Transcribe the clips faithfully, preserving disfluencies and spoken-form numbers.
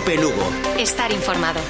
Cope Lugo. Estar informado.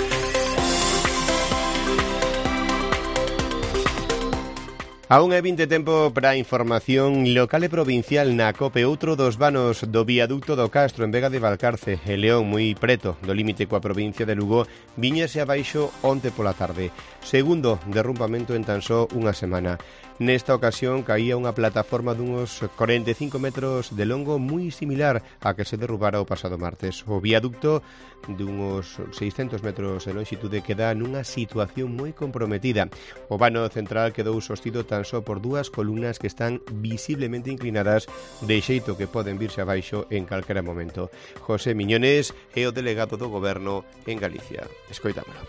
Aún hai vinte tempo para a información local e provincial na Cope. Outro dos vanos do viaducto do Castro en Vega de Valcarce e León, moi preto do límite coa provincia de Lugo, viñese abaixo onte pola tarde. Segundo derrumbamento en tan só unha semana. Nesta ocasión caía unha plataforma dunhos corenta e cinco metros de longo moi similar a que se derrubara o pasado martes. O viaducto dunhos seiscentos metros de longitude queda nunha situación moi comprometida. O vano central quedou sostido tan só por dúas columnas que están visiblemente inclinadas, de xeito que poden virse abaixo en calquera momento. José Miñones é o delegado do Goberno en Galicia. Escoitámolo.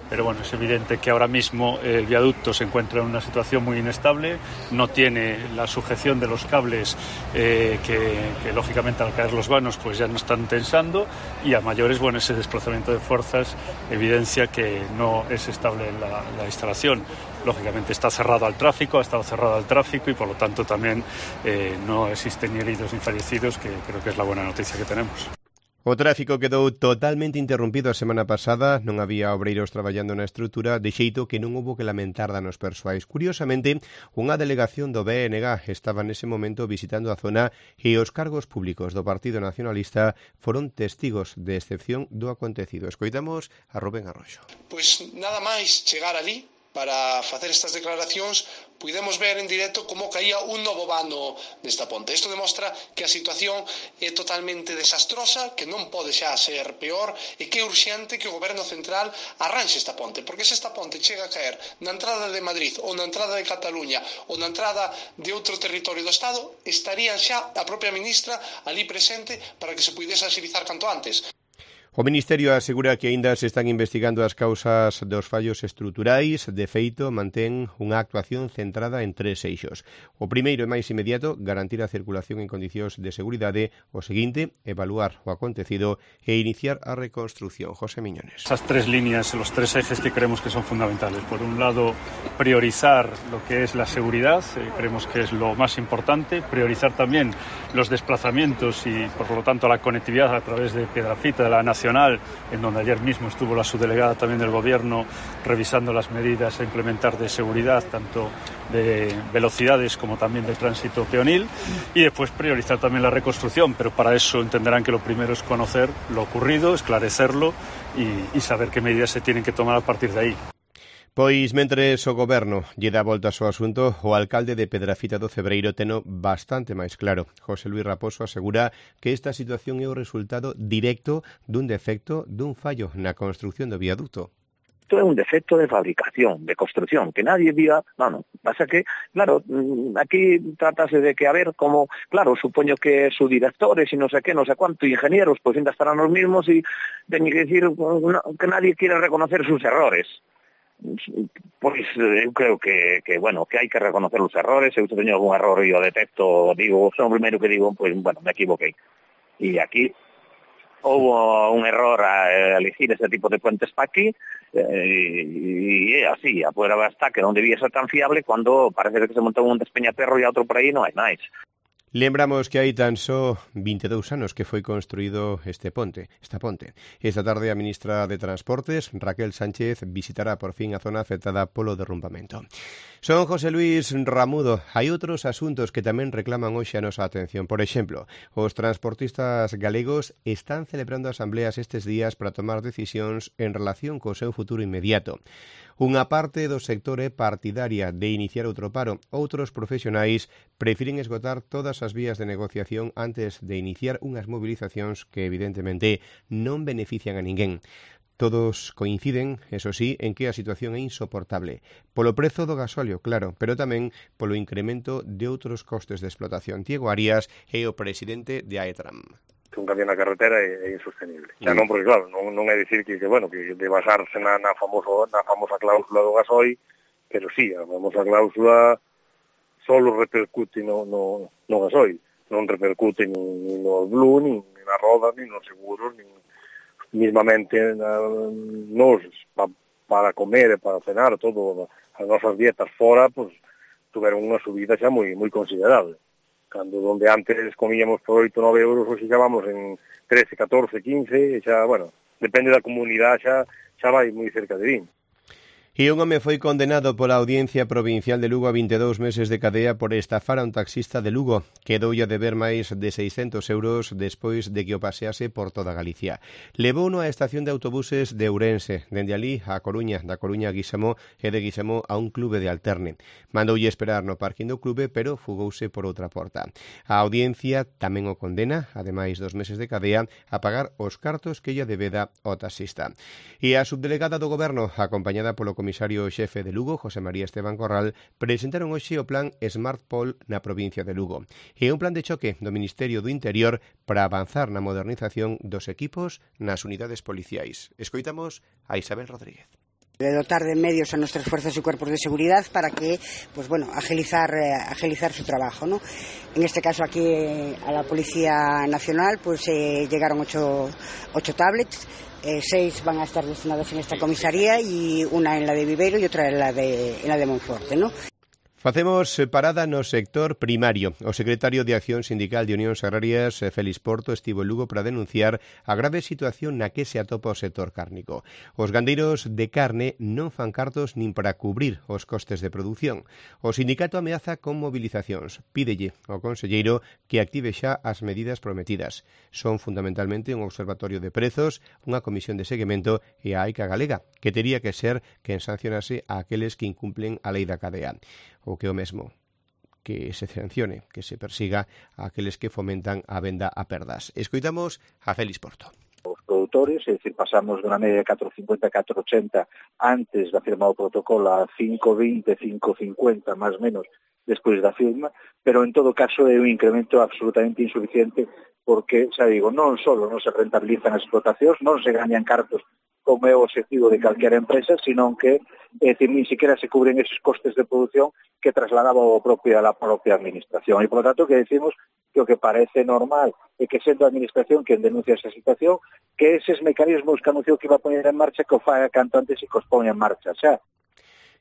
Pero bueno, es evidente que ahora mismo el viaducto se encuentra en una situación muy inestable, no tiene la sujeción de los cables eh, que, que lógicamente al caer los vanos pues ya no están tensando, y a mayores, bueno, ese desplazamiento de fuerzas evidencia que no es estable la, la instalación. Lógicamente está cerrado al tráfico, ha estado cerrado al tráfico y por lo tanto también eh, no existen ni heridos ni fallecidos, que creo que es la buena noticia que tenemos. O tráfico quedou totalmente interrompido a semana pasada, non había obreiros traballando na estrutura, de xeito que non houbo que lamentar danos persoais. Curiosamente, unha delegación do B N G estaba nese momento visitando a zona e os cargos públicos do Partido Nacionalista foron testigos de excepción do acontecido. Escoitamos a Rubén Arroxo. Pois nada máis chegar ali para facer estas declaracións, pudemos ver en directo como caía un novo vano nesta ponte. Isto demostra que a situación é totalmente desastrosa, que non pode xa ser peor e que é urxente que o Goberno Central arranxe esta ponte, porque se esta ponte chega a caer na entrada de Madrid ou na entrada de Cataluña ou na entrada de outro territorio do Estado, estaría xa a propia ministra ali presente para que se pudese agilizar canto antes. O Ministerio asegura que aínda se están investigando as causas dos fallos estruturais. De feito, mantén unha actuación centrada en tres eixos. O primeiro e máis inmediato, garantir a circulación en condicións de seguridade. O seguinte, evaluar o acontecido e iniciar a reconstrucción. José Miñones. Esas tres líneas, los tres ejes que creemos que son fundamentales. Por un lado, priorizar lo que es la seguridad, eh, creemos que es lo más importante. Priorizar también los desplazamientos y, por lo tanto, la conectividad a través de Piedrafita, de la Nacional, en donde ayer mismo estuvo la subdelegada también del Gobierno revisando las medidas a implementar de seguridad, tanto de velocidades como también de tránsito peonil, y después priorizar también la reconstrucción, pero para eso entenderán que lo primero es conocer lo ocurrido, esclarecerlo y, y saber qué medidas se tienen que tomar a partir de ahí. Pois, mentres o Goberno lle dá volta ao asunto, o alcalde de Pedrafita do Cebreiro teno bastante máis claro. José Luis Raposo asegura que esta situación é o resultado directo dun defecto dun fallo na construción do viaduto. Isto é un defecto de fabricación, de construcción, que nadie diga, no, no, pasa que, claro, aquí tratase de que, a ver, como, claro, supoño que subdirectores e non sei que, non sei cuánto, ingenieros, pois ainda estarán os mismos e teñen que decir que nadie quiere reconocer sus errores. Pois eu creo que, que, bueno, que hai que reconocer os errores. Eu teño algún error e o detecto, digo, son o primeiro que digo, pois, bueno, me equivoquei. E aquí houve un error a elegir ese tipo de puentes para aquí, e é así, a poder basta que non debía ser tan fiable cando parece que se montou un despeñaperro e outro por aí non hai máis. Lembramos que hai tan só vinte e dous anos que foi construído este ponte, esta ponte. Esta tarde a ministra de Transportes, Raquel Sánchez, visitará por fin a zona afectada polo derrumbamento. Son José Luis Ramudo. Hai outros asuntos que tamén reclaman hoxe a nosa atención. Por exemplo, os transportistas galegos están celebrando asambleas estes días para tomar decisións en relación co seu futuro inmediato. Unha parte do sector é partidaria de iniciar outro paro. Outros profesionais prefiren esgotar todas as vías de negociación antes de iniciar unhas movilizacións que evidentemente non benefician a ninguén. Todos coinciden, eso sí, en que a situación é insoportable. Polo prezo do gasóleo, claro, pero tamén polo incremento de outros costes de explotación. Diego Arias é o presidente de AETRAM. Un cambio na carretera é, é insostenible. Xa non, porque claro, non, non é dicir que, que bueno, que de basarse na, na, famoso, na famosa cláusula do gasoil, pero sí, a famosa cláusula solo repercute no, no, no gasoil, non repercute ni, ni no blue, ni, ni na roda, ni nos seguros, ni mismamente na, nos, pa, para comer e para cenar, todo, as nosas dietas fora, pues, tuveron unha subida xa moi, moi considerable. Cando donde antes comíamos por oito, nove euros, hoxe xa vamos en trece, catorce, quince, e xa, bueno, depende da comunidade xa, xa vai moi cerca de vinte. E un home foi condenado pola Audiencia Provincial de Lugo a vinte e dous meses de cadea por estafar a un taxista de Lugo. Quedoulle a deber máis de seiscentos euros despois de que o pasease por toda Galicia. Levouno á estación de autobuses de Ourense, dende alí a Coruña, da Coruña a Guisamó e de Guisamó a un clube de Alterne. Mandoulle esperar no parking do clube, pero fugouse por outra porta. A Audiencia tamén o condena, ademais dos meses de cadea, a pagar os cartos que lle debeda ao taxista. E a subdelegada do Goberno, acompañada polo comisario xefe de Lugo, José María Esteban Corral, presentaron hoxe o plan Smart Pol na provincia de Lugo. E un plan de choque do Ministerio do Interior para avanzar na modernización dos equipos nas unidades policiais. Escoitamos a Isabel Rodríguez. De dotar de medios a nuestras fuerzas y cuerpos de seguridad para que, pues bueno, agilizar, eh, agilizar su trabajo, ¿no? En este caso aquí eh, a la Policía Nacional, pues eh, llegaron ocho, ocho tablets. Eh, seis van a estar destinadas en esta comisaría y una en la de Viveiro y otra en la de, en la de Monforte, ¿no? Facemos parada no sector primario. O secretario de Acción Sindical de Unións Agrarias, Félix Porto, estivo en Lugo para denunciar a grave situación na que se atopa o sector cárnico. Os gandeiros de carne non fan cartos nin para cubrir os costes de produción. O sindicato ameaza con movilizacións. Pídelle ao conselleiro que active xa as medidas prometidas. Son fundamentalmente un observatorio de prezos, unha comisión de seguimento e a AICA galega, que tería que ser quen sancionase a aqueles que incumplen a lei da cadea. O que o mesmo, que se sancione, que se persiga a aqueles que fomentan a venda a perdas. Escoitamos a Félix Porto. Os produtores, é dicir, pasamos dunha media de catro cincuenta a catro ochenta antes da firma do protocolo a cinco vinte, cinco cincuenta, máis ou menos, despois da firma, pero en todo caso é un incremento absolutamente insuficiente porque, xa digo, non só non se rentabilizan as explotacións, non se gañan cartos como é o objetivo de calquera empresa, sino que é dicir, ni siquiera se cubren esos costes de producción que trasladaba o propio a la propia administración. E, por lo tanto, que decimos que o que parece normal é que sendo a administración quen denuncia esa situación, que eses mecanismos que anunciou que iba a poñer en marcha, que o faga canto antes e que os ponga en marcha xa.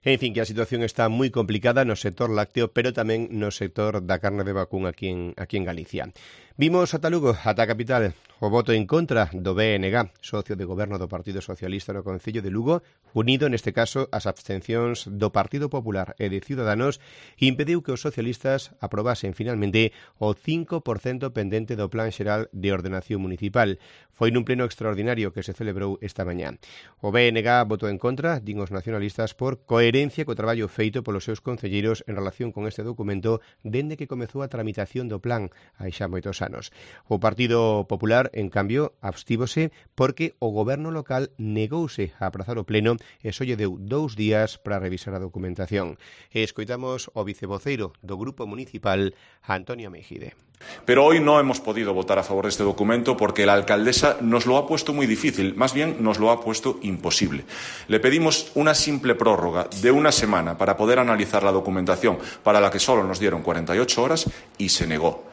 En fin, que a situación está moi complicada no sector lácteo, pero tamén no sector da carne de vacún aquí en, aquí en Galicia. Vimos ata Lugo, ata a capital, o voto en contra do B N G, socio de goberno do Partido Socialista no Concello de Lugo, unido neste caso ás abstencións do Partido Popular e de Ciudadanos, impediu que os socialistas aprobasen finalmente o cinco por cento pendente do Plan Xeral de Ordenación Municipal. Foi nun pleno extraordinario que se celebrou esta mañá. O B N G votou en contra, din os nacionalistas, por coherencia co traballo feito polos seus concelleiros en relación con este documento dende que comezou a tramitación do plan hai xa moitos anos. O Partido Popular, en cambio, abstívose porque o goberno local negouse a aprazar o pleno e só lle deu dous días para revisar a documentación. E escoitamos o vicevoceiro do Grupo Municipal, Antonio Mejide. Pero hoy no hemos podido votar a favor de este documento porque la alcaldesa nos lo ha puesto muy difícil, más bien nos lo ha puesto imposible. Le pedimos una simple prórroga de una semana para poder analizar la documentación, para la que solo nos dieron cuarenta y ocho horas, y se negó.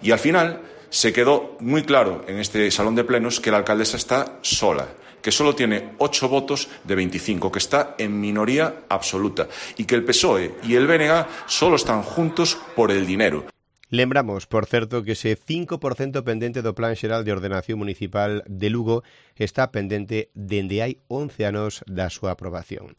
Y al final se quedó muy claro en este salón de plenos que la alcaldesa está sola, que solo tiene ocho votos de veinticinco, que está en minoría absoluta y que el P S O E y el B N G solo están juntos por el dinero. Lembramos, por certo, que ese cinco por cento pendente do Plan Xeral de Ordenación Municipal de Lugo está pendente dende hai once anos da súa aprobación.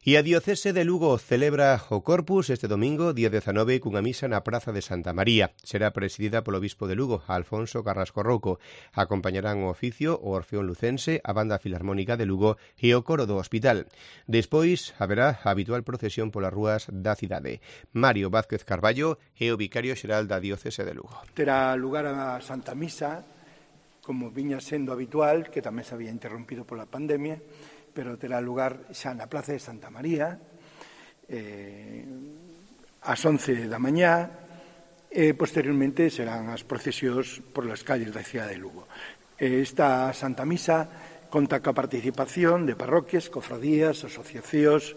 E a Diocese de Lugo celebra o Corpus este domingo, día dezanove, cunha misa na Praza de Santa María. Será presidida polo Bispo de Lugo, Alfonso Carrasco Rouco. Acompañarán o oficio o Orfeón Lucense, a Banda Filarmónica de Lugo e o Coro do Hospital. Despois haberá a habitual procesión polas rúas da cidade. Mario Vázquez Carballo é o vicario xeral da Diocese de Lugo. Terá lugar a Santa Misa, como viña sendo habitual, que tamén se había interrompido pola pandemia, pero terá lugar xa na Plaza de Santa María, eh, ás once da mañá, e posteriormente serán as procesións por las calles da cidade de Lugo. Esta Santa Misa conta coa participación de parroquias, cofradías, asociacións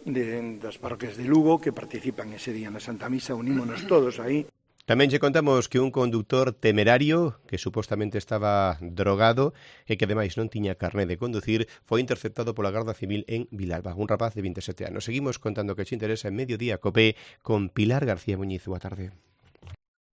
de, das parroquias de Lugo que participan ese día na Santa Misa, unímonos todos aí. Tamén lle contamos que un conductor temerario que supostamente estaba drogado e que ademais non tiña carné de conducir foi interceptado pola Garda Civil en Vilalba, un rapaz de veintisiete anos. Seguimos contando que che interesa en Mediodía Cope con Pilar García Muñiz. Boa tarde.